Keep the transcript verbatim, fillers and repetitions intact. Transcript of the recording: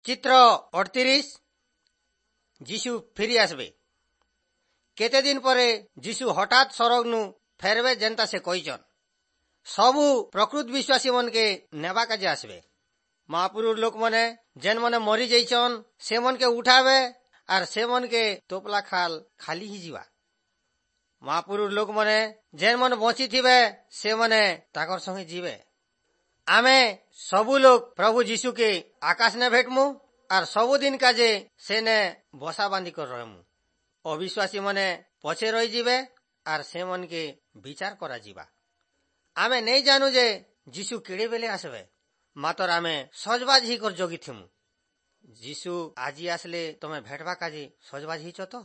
ଚିତ୍ର ଅଠତିରିଶ ଯୀଶୁ ଫିରି আসবে। କେତେ ଦିନ ପରେ ଯୀଶୁ ହଠାତ୍ ସରଗନୁ ଫେରବେ ଯେନ୍ତା ସେ କହିଛନ୍। ସବୁ ପ୍ରକୃତ ବିଶ୍ୱାସୀ ମନକେ ନେବା କାଜେ আসবে। ମହାପୁରୁର ଲୋକମାନେ ଯେନ୍ ମାନେ ମରି ଯାଇଛନ୍ ସେମନକେ ଉଠାବେ ଆର୍ ସେମନକେ ତୋପଲା ଖାଲ ଖାଲି ହେଇଯିବା। ମହାପୁରୁର ଲୋକମାନେ ଯେନ୍ ମାନେ ବଞ୍ଚିଥିବେ ସେମାନେ ତାକର ସଙ୍ଗେ ଯିବେ। ଆମେ ସବୁ ଲୋକ ପ୍ରଭୁ ଯୀଶୁକେ ଆକାଶ ନେ ଭେଟମୁ ଆର୍ ସବୁଦିନ କାଜେ ସେନେ ବସା ବାନ୍ଧି କରି ରହମୁ। ଅବିଶ୍ୱାସୀ ମାନେ ପଛେ ରହିଯିବେ ଆର୍ ସେମନକେ ବିଚାର କରାଯିବା। ଆମେ ନେଇ ଜାନୁ ଯେ ଯୀଶୁ କେଡ଼େ ବେଲେ আসবে, ମାତର ଆମେ ସଜବାଜ ହେଇକରି ଜଗିଥିମୁ। ଯୀଶୁ ଆଜି ଆସିଲେ ତମେ ଭେଟବା କାଜେ ସଜବାଜ ହେଇଛ ତ?